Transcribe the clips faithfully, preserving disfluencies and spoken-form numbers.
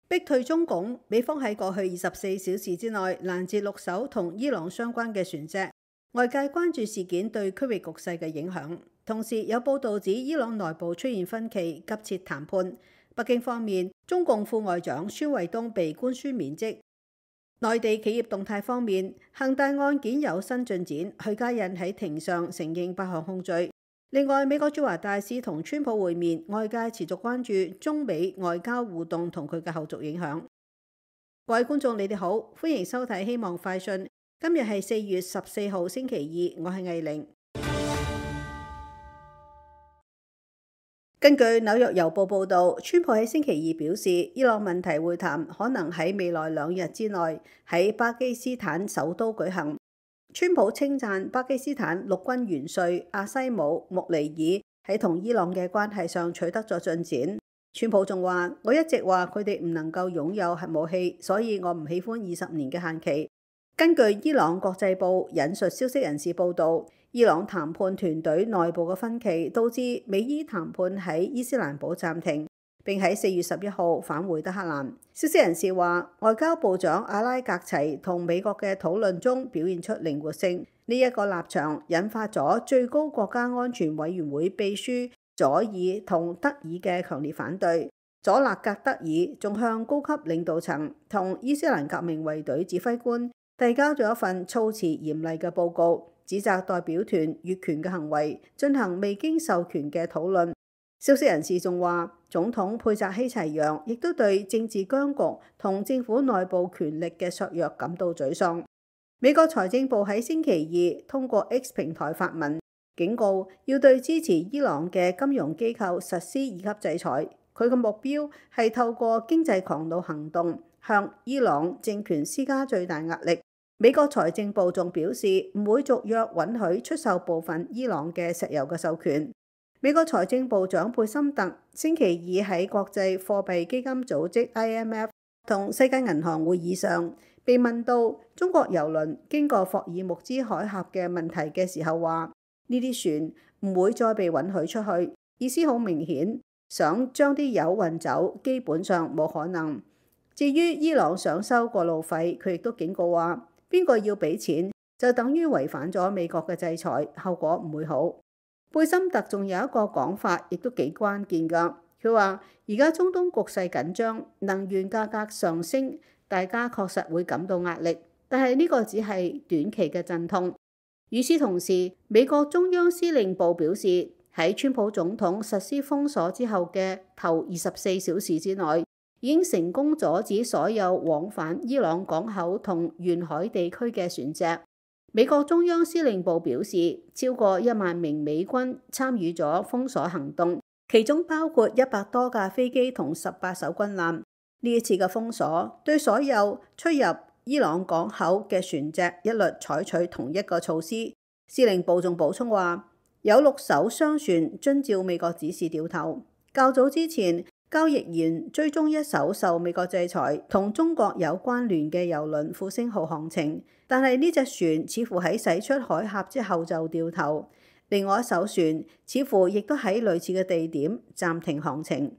逼退中共，美方喺過去二十四小時之內攔截六艘同伊朗相關嘅船隻，外界關注事件對區域局勢嘅影響。同時有報道指伊朗內部出現分歧，急切談判。北京方面，中共副外長孫衛東被官宣免職。內地企業動態方面，恒大案件有新進展，許家印喺庭上承認八項控罪。另外，美國駐華大使同川普會面，外界持續關注中美外交互動同佢嘅後續影響。各位觀眾，你哋好，歡迎收睇《希望快訊》。今日係四月十四號星期二，我係藝玲。根據紐約郵報報導，川普喺星期二表示，伊朗問題會談可能喺未來兩日之內喺巴基斯坦首都舉行。川普稱讚巴基斯坦陸軍元帥阿西姆·穆尼爾喺同伊朗嘅關係上取得咗進展。川普仲話：我一直話佢哋唔能夠擁有核武器，所以我唔喜歡二十年嘅限期。根據伊朗國際報引述消息人士報導，伊朗談判團隊內部嘅分歧導致美伊談判喺伊斯蘭堡暫停，並喺四月十一號返回德黑蘭。消息人士話，外交部長阿拉格齊同美國嘅討論中表現出靈活性，呢、這、一個立場引發咗最高國家安全委員會秘書佐爾同德爾嘅強烈反對。佐勒格德爾仲向高級領導層同伊斯蘭革命衛隊指揮官遞交咗一份措辭嚴厲嘅報告，指責代表團越權嘅行為，進行未經授權嘅討論。消息人士仲話，總統佩澤希齊揚亦都對政治僵局同政府內部權力嘅削弱感到沮喪。美國財政部喺星期二通過 X 平台發文，警告要對支持伊朗嘅金融機構實施二級制裁。佢嘅目標係透過經濟狂怒行動向伊朗政權施加最大壓力。美國財政部仲表示唔會續約允許出售部分伊朗嘅石油嘅授權。美國財政部長貝森特星期二喺國際貨幣基金組織 I M F 同世界銀行會議上被問到中國郵輪經過霍爾木茲海峽嘅問題嘅時候，話呢啲船唔會再被允許出去，意思好明顯，想將啲油運走基本上冇可能。至於伊朗想收過路費，佢亦都警告話，邊個要俾錢就等於違反咗美國嘅制裁，後果唔會好。貝森特仲有一個講法，亦都幾關鍵㗎。佢話而家中東局勢緊張，能源價格上升，大家確實會感到壓力，但係呢個只係短期嘅陣痛。與此同時，美國中央司令部表示，喺川普總統實施封鎖之後嘅頭二十四小時之內，已經成功阻止所有往返伊朗港口同沿海地區嘅船隻。美國中央司令部表示，超過一萬名美軍參與咗封鎖行動，其中包括一百多架飛機同十八艘軍艦。呢一次嘅封鎖對所有出入伊朗港口嘅船隻一律採取同一個措施。司令部仲補充話，有六艘商船遵照美國指示掉頭。較早之前，交易員追蹤一艘受美國制裁同中國有關聯嘅郵輪復星號航程，但係呢隻船似乎喺駛出海峽之後就掉頭。另外一艘船似乎亦都喺類似嘅地點暫停航程。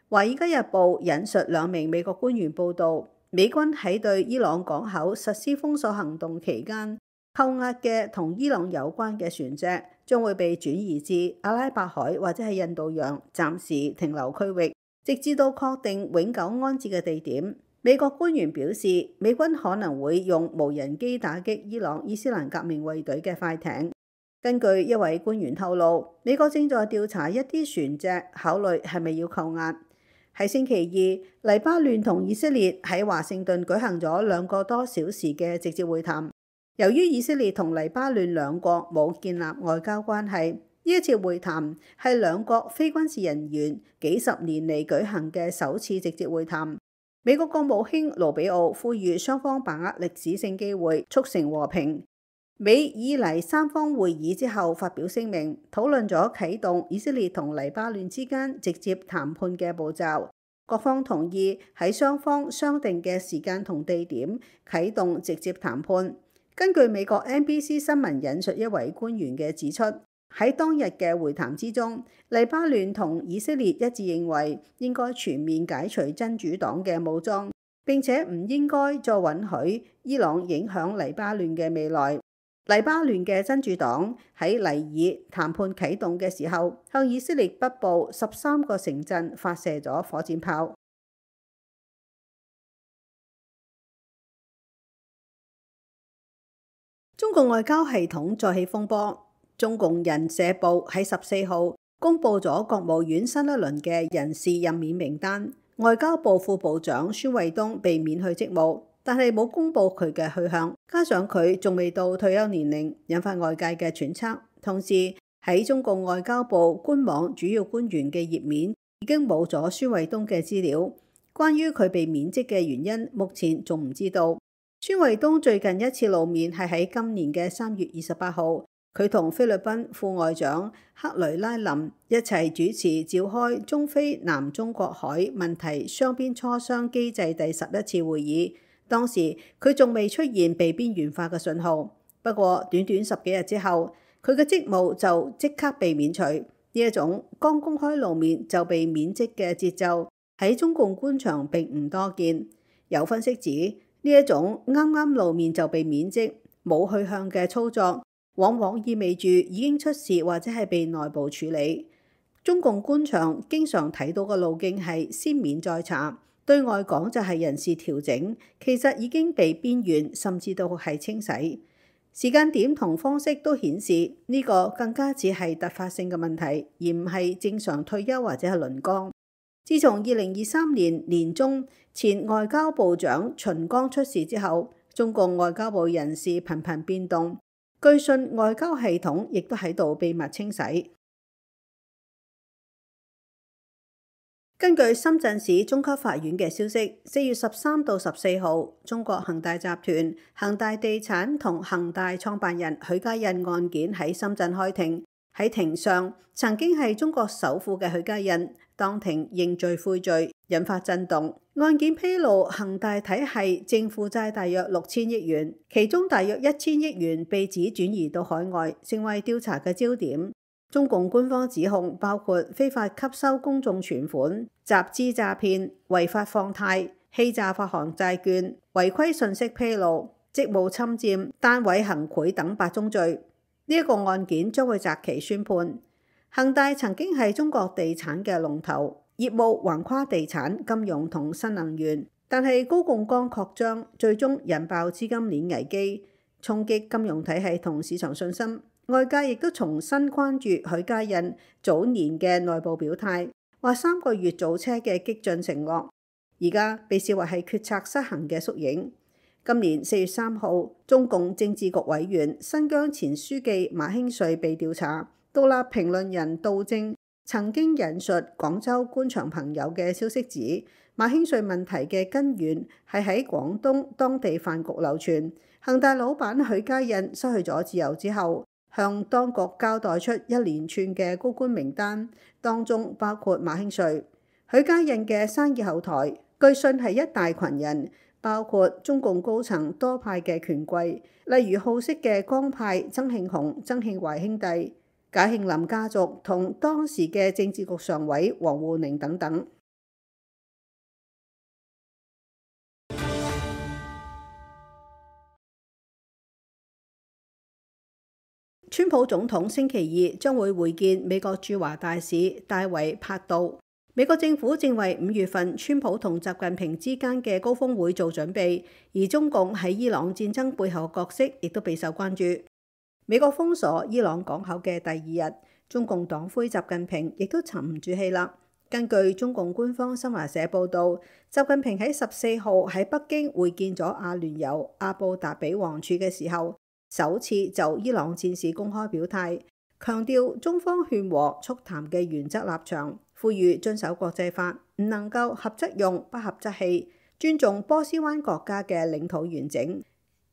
華爾街日報引述兩名美國官員報道，美軍喺對伊朗港口實施封鎖行動期間扣押嘅同伊朗有關嘅船隻將會被轉移至阿拉伯海或者係印度洋暫時停留區域，直至到確定永久安置嘅地點。美國官員表示，美軍可能會用無人機打擊伊朗伊斯蘭革命衛隊嘅快艇。根據一位官員透露，美國正在調查一啲船隻，考慮係咪要扣押。喺星期二，黎巴嫩同以色列喺華盛頓舉行咗兩個多小時嘅直接會談。由於以色列同黎巴嫩兩國冇建立外交關係，呢一次會談係兩國非軍事人員幾十年嚟舉行嘅首次直接會談。美國國務卿盧比奧呼籲雙方把握歷史性機會，促成和平。美以黎三方會議之後發表聲明，討論咗啟動以色列同黎巴嫩之間直接談判嘅步驟。各方同意喺雙方商定嘅時間同地點啟動直接談判。根據美國 N B C 新聞引述一位官員嘅指出，喺當日嘅會談之中，黎巴嫩同以色列一致認為應該全面解除真主黨嘅武裝，並且唔應該再允許伊朗影響黎巴嫩嘅未來。黎巴嫩嘅真主黨喺尼爾談判啟動嘅時候，向以色列北部十三個城鎮發射咗火箭炮。中共外交系統再起風波，中共人社部喺十四號公布咗國務院新一輪嘅人事任免名單，外交部副部長孫衛東被免去職務，但係冇公布佢嘅去向，加上佢仲未到退休年齡，引發外界嘅揣測。同時喺中共外交部官網主要官員嘅頁面已經冇咗孫衛東嘅資料，關於佢被免職嘅原因，目前仲唔知道。孫衛東最近一次露面係喺今年嘅三月二十八號，佢同菲律賓副外長克雷拉林一齊主持召開中非南中國海問題雙邊磋商機制第十一次會議。當時佢仲未出現被邊緣化嘅信號，不過短短十幾日之後，佢嘅職務就即刻被免除。呢一種剛公開露面就被免職嘅節奏喺中共官場並唔多見。有分析指，呢一種啱啱露面就被免職、冇去向嘅操作，往往意味住已經出事或者係被內部處理。中共官場經常睇到嘅路徑係先免再查，對外講就係人事調整，其實已經被邊緣，甚至到係清洗。時間點同方式都顯示呢個更加只係突發性嘅問題，而唔係正常退休或者係輪崗。自從二零二三年年中前外交部長秦剛出事之後，中共外交部人事頻頻變動，據信外交系統亦都喺度秘密清洗。根據深圳市中級法院嘅消息，四月十三到十四號，中國恒大集團、恒大地產同恒大創辦人許家印案件喺深圳開庭。喺庭上，曾經係中國首富嘅許家印當庭認罪悔罪，引發震動。案件披露，恒大體系淨負債大約六千億元，其中大約一千億元被指轉移到海外，成為調查嘅焦點。中共官方指控包括非法吸收公眾存款、集資詐騙、違法放貸、欺詐發行債券、違規信息披露、職務侵佔、單位行賄等八宗罪。呢一個案件將會擇期宣判。恒大曾經係中國地產嘅龍頭，業務橫跨地產、金融同新能源，但係高槓桿擴張，最終引爆資金鏈危機，衝擊金融體系同市場信心。外界亦都重新關注許家印早年嘅內部表態，話三個月造車嘅激進承諾，而家被視為係決策失衡嘅縮影。今年四月三號，中共政治局委員、新疆前書記馬興瑞被調查。獨立評論人杜正曾經引述廣州官場朋友嘅消息指，馬興瑞問題嘅根源係喺廣東當地飯局流傳。恒大老闆許家印失去咗自由之後，向當局交代出一連串嘅高官名單，當中包括馬興瑞。許家印嘅生意後台，據信係一大群人，包括中共高層多派嘅權貴，例如好色嘅江派曾慶紅、曾慶懷兄弟、賈慶林家族同當時嘅政治局常委王滬寧等等。川普總統星期二將會會見美國駐華大使戴維帕杜。美國政府正為五月份川普同習近平之間嘅高峰會做準備，而中共喺伊朗戰爭背後嘅角色亦都備受關注。美國封鎖伊朗港口嘅第二日，中共黨魁習近平亦都沉唔住氣啦。根據中共官方新華社報導，習近平喺十四號喺北京會見咗阿聯酋阿布達比王儲嘅時候，首次就伊朗戰事公開表態，強調中方勸和促談嘅原則立場，呼籲遵守國際法，唔能夠合則用，不合則棄，尊重波斯灣國家嘅領土完整。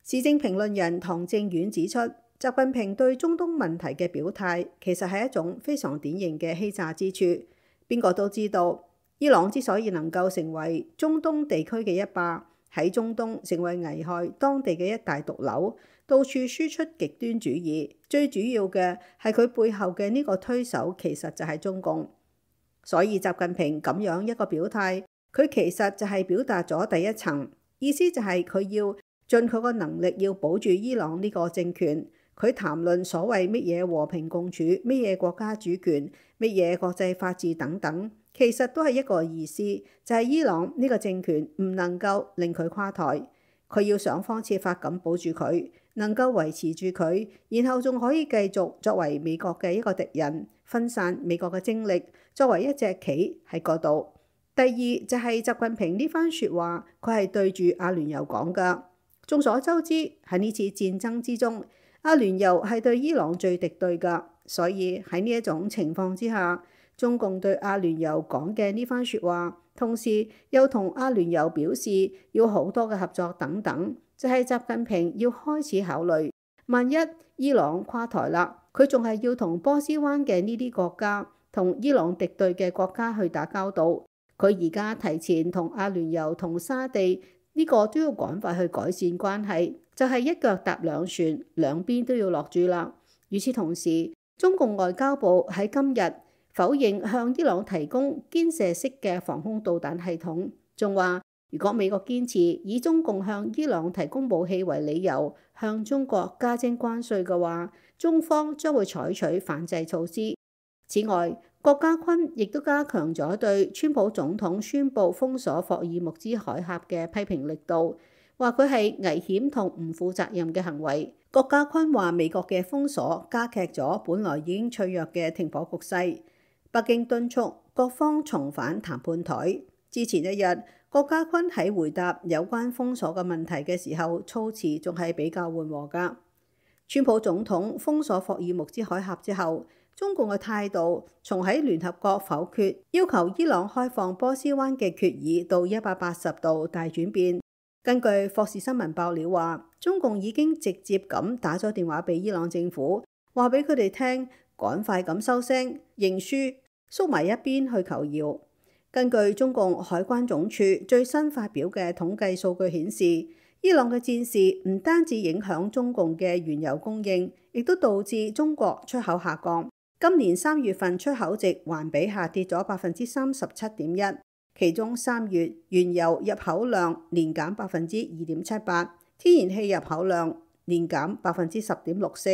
時政評論人唐正遠指出，習近平對中東問題嘅表態其實係一種非常典型嘅欺詐之處。邊個都知道，伊朗之所以能夠成為中東地區嘅一霸，喺中東成為危害當地嘅一大毒瘤，到處輸出極端主義，最主要嘅係佢背後嘅呢個推手其實就係中共。所以習近平咁樣一個表態，佢其實就係表達咗第一層意思，就係佢要盡佢個能力要保住伊朗呢個政權。佢談論所謂乜嘢和平共處、乜嘢國家主權、乜嘢國際法治等等，其實都係一個意思，就係伊朗呢個政權唔能夠令佢垮台，佢要想方設法咁保住佢，能夠維持住佢，然後仲可以繼續作為美國嘅一個敵人，分散美國嘅精力，作為一隻棋喺嗰度。第二就係習近平呢番説話，佢係對住阿聯酋講㗎。眾所周知喺呢次戰爭之中，阿聯酋係對伊朗最敵對㗎，所以喺呢一種情況之下，中共對阿聯酋講嘅呢番説話，同時又同阿聯酋表示要好多嘅合作等等，就係習近平要開始考慮，萬一伊朗垮台啦，佢仲係要同波斯灣嘅呢啲國家，同伊朗敵對嘅國家去打交道。佢而家提前同阿聯酋同沙地呢個都要趕快去改善關係，就係一腳踏兩船，兩邊都要落注啦。與此同時，中共外交部喺今日否認向伊朗提供肩射式嘅防空導彈系統，仲話如果美國堅持以中共向伊朗提供武器為理由向中國加徵關稅嘅話，中方將會採取反制措施。此外，郭家坤亦都加強咗對川普總統宣布封鎖霍爾木茲海峽嘅批評力度，話佢係危險同唔負責任嘅行為。郭家坤話美國嘅封鎖加劇咗本來已經脆弱嘅停火局勢，北京敦促各方重返談判台。之前一日，郭家坤喺回答有關封鎖嘅問題嘅時候，措辭仲係比較緩和㗎。川普總統封鎖霍爾木茲海峽之後，中共嘅態度從喺聯合國否決要求伊朗開放波斯灣嘅決議到一百八十度大轉變。根據霍士新聞爆料話，中共已經直接咁打咗電話俾伊朗政府，話俾佢哋聽趕快咁收聲認輸，縮埋一邊去求饒。根據中共海關總署最新發表嘅統計數據顯示，伊朗嘅戰事唔單止影響中共嘅原油供應，亦都導致中國出口下降。今年三月份出口值環比下跌咗百分之三十七點一，其中三月原油入口量年減百分之二點七八，天然氣入口量年減百分之十點六四。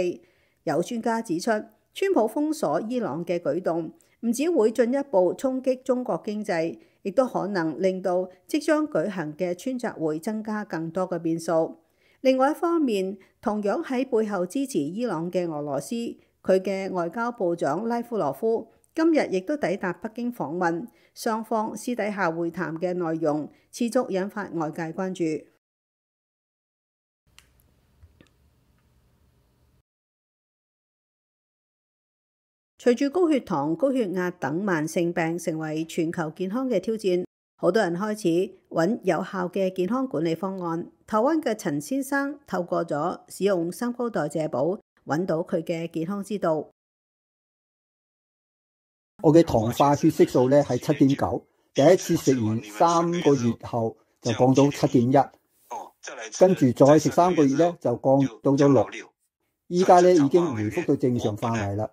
有專家指出，川普封鎖伊朗嘅舉動唔只會進一步衝擊中國經濟，亦都可能令到即將舉行嘅川習會增加更多嘅變數。另外一方面，同樣喺背後支持伊朗嘅俄羅斯，佢嘅外交部長拉夫羅夫今日亦都抵達北京訪問，雙方私底下會談嘅內容持續引發外界關注。隨住高血糖、高血壓等慢性病成為全球健康嘅挑戰，好多人開始揾有效嘅健康管理方案。台灣嘅陳先生透過咗使用三高代謝寶，揾到佢嘅健康之道。我嘅糖化血色素咧係七點九，第一次食完三個月後就降到七點一，跟住再食三個月咧就降到咗六，依家咧已經回復到正常範圍啦。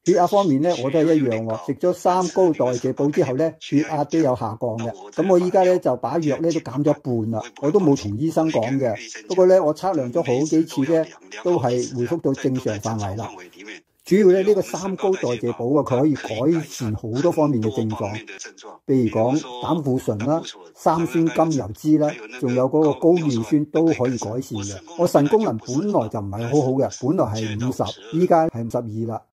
血壓方面咧我都係一樣喎，食咗三高代謝寶之後咧血壓都有下降嘅。咁我依家咧就把藥咧都減咗一半啦，我都冇同醫生講嘅。不過咧我測量咗好幾次咧都係回復到正常範圍啦。主要咧呢個三高代謝寶啊，佢可以改善好多方面嘅症狀，譬如講膽固醇啦、三酸甘油酯啦，仲有嗰個高尿酸都可以改善嘅。我腎功能本來就唔係好好嘅，本來係五十，依家係五十二啦。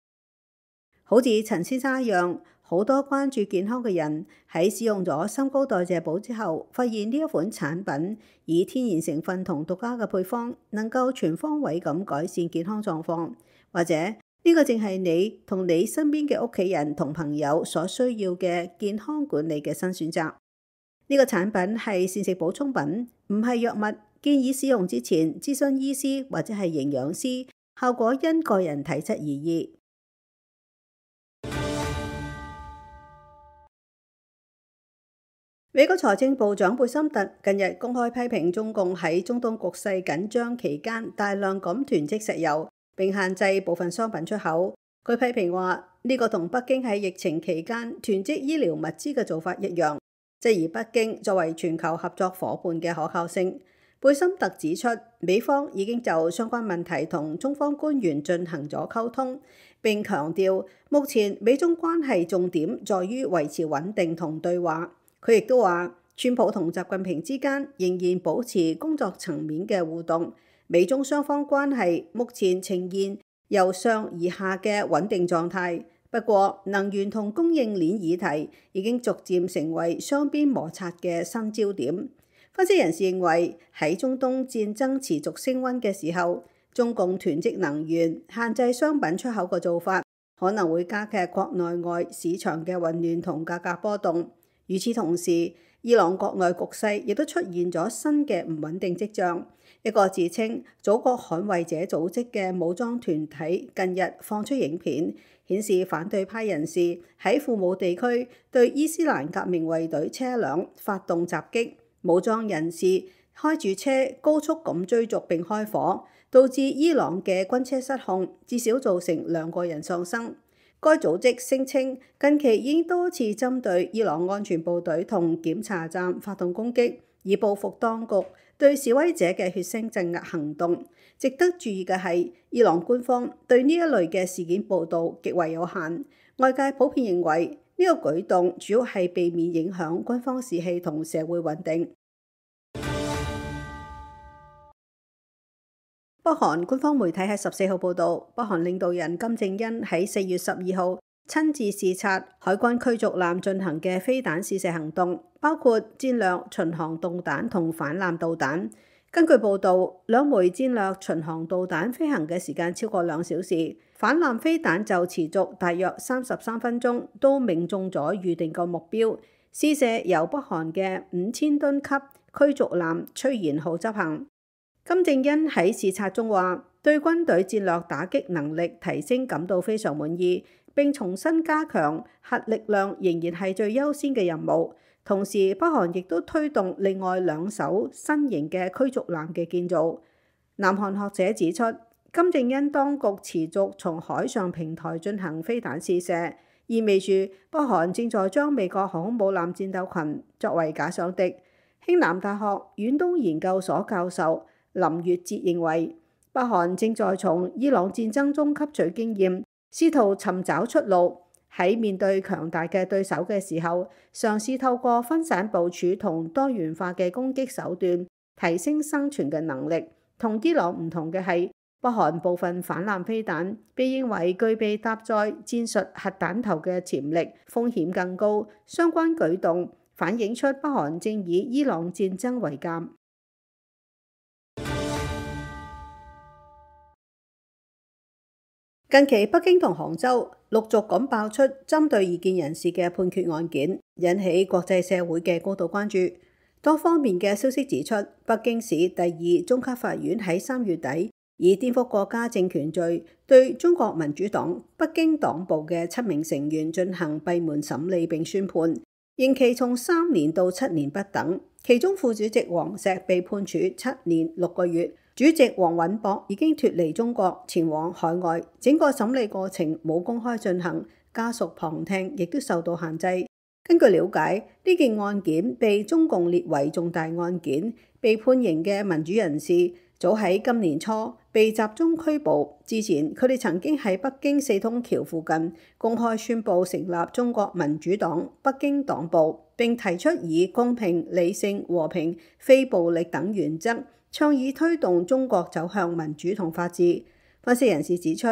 好似陳先生一樣，好多關注健康嘅人喺使用咗三高代謝寶之後，發現呢一款產品以天然成分同獨家嘅配方，能夠全方位咁改善健康狀況，或者呢個正係你同你身邊嘅屋企人同朋友所需要嘅健康管理嘅新選擇。呢個產品係膳食補充品，唔係藥物，建議使用之前諮詢醫師或者係營養師，效果因個人體質而異。美國財政部長貝森特近日公開批評中共喺中東局勢緊張期間大量咁囤積石油，並限制部分商品出口。佢批評話呢個同北京喺疫情期間囤積醫療物資嘅做法一樣，質疑北京作為全球合作夥伴嘅可靠性。貝森特指出，美方已經就相關問題同中方官員進行咗溝通，並強調目前美中關係重點在於維持穩定同對話。佢亦都話，川普同習近平之間仍然保持工作層面嘅互動，美中雙方關係目前呈現由上而下嘅穩定狀態。不過，能源同供應鏈議題已經逐漸成為雙邊摩擦嘅新焦點。分析人士認為，喺中東戰爭持續升溫嘅時候，中共囤積能源、限制商品出口嘅做法，可能會加劇國內外市場嘅混亂同價格波動。與此同時，伊朗國內局勢亦都出現咗新嘅唔穩定跡象。一個自稱祖國捍衛者組織嘅武裝團體近日放出影片，顯示反對派人士喺庫姆地區對伊斯蘭革命衛隊車輛發動襲擊，武裝人士開住車高速咁追逐並開火，導致伊朗嘅軍車失控，至少造成兩個人喪生。該組織聲稱近期已經多次針對伊朗安全部隊同檢查站發動攻擊，以報復當局對示威者嘅血腥鎮壓行動。值得注意嘅係，伊朗官方對呢一類嘅事件報導極為有限。外界普遍認為呢個舉動主要係避免影響軍方士氣同社會穩定。北韓官方媒體喺十四號報導，北韓領導人金正恩喺四月十二號親自視察海軍驅逐艦進行嘅飛彈試射行動，包括戰略巡航導彈同反艦導彈。根據報導，兩枚戰略巡航導彈飛行嘅時間超過兩小時，反艦飛彈就持續大約三十三分鐘，都命中咗預定個目標。試射由北韓嘅五千噸級驅逐艦崔賢浩執行。金正恩喺視察中話，對軍隊戰略打擊能力提升感到非常滿意，並重新加強核力量仍然係最優先嘅任務。同時，北韓亦都推動另外兩艘新型嘅驅逐艦嘅建造。南韓學者指出，金正恩當局持續從海上平台進行飛彈試射，意味住北韓正在將美國航空母艦戰鬥群作為假想敵。興南大學遠東研究所教授林月哲認為，北韓正在從伊朗戰爭中吸取經驗，試圖尋找出路。喺面對強大嘅對手嘅時候，嘗試透過分散部署同多元化嘅攻擊手段，提升生存嘅能力。同伊朗唔同嘅係，北韓部分反艦飛彈被認為具備搭載戰術核彈頭嘅潛力，風險更高。相關舉動反映出北韓正以伊朗戰爭為鑑。近期北京同杭州陸續咁爆出針對異見人士嘅判決案件，引起國際社會嘅高度關注。多方面嘅消息指出，北京市第二中級法院喺三月底以顛覆國家政權罪對中國民主黨北京黨部嘅七名成員進行閉門審理並宣判，刑期從三年到七年不等。其中副主席王石被判處七年六個月。主席王允博已經脫離中國，前往海外，整個審理過程冇公開進行，家屬旁聽亦都受到限制。根據了解，呢件案件被中共列為重大案件，被判刑嘅民主人士早喺今年初被集中拘捕。之前佢哋曾經喺北京四通橋附近公開宣布成立中國民主黨北京黨部，並提出以公平、理性、和平、非暴力等原則，倡議推動中國走向民主同法治。分析人士指出，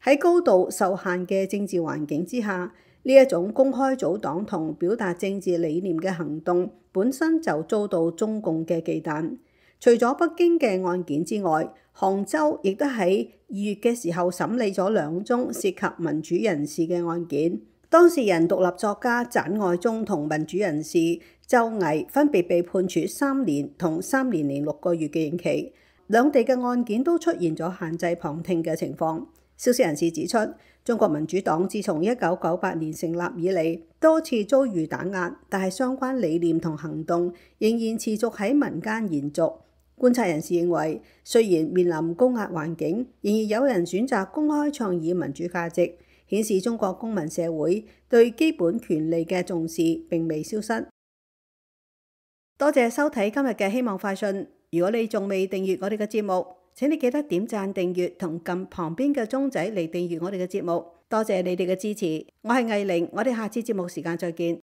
喺高度受限嘅政治環境之下，呢一種公開組黨同表達政治理念嘅行動本身就遭到中共嘅忌憚。除咗北京嘅案件之外，杭州亦都喺二月嘅時候審理咗兩宗涉及民主人士嘅案件。當事人獨立作家翟愛忠同民主人士周毅分別被判處三年同三年零六個月嘅刑期，兩地嘅案件都出現咗限制旁聽嘅情況。消息人士指出，中國民主黨自從一九九八年成立以嚟，多次遭遇打壓，但係相關理念同行動仍然持續喺民間延續。觀察人士認為，雖然面臨高壓環境，仍然有人選擇公開倡議民主價值，顯示中國公民社會對基本權利嘅重視並未消失。多謝收睇今日嘅希望快訊。如果你仲未訂閱我哋嘅節目，請你記得點讚訂閱同撳旁邊嘅鐘仔嚟訂閱我哋嘅節目。多謝你哋嘅支持，我係藝玲，我哋下次節目時間再見。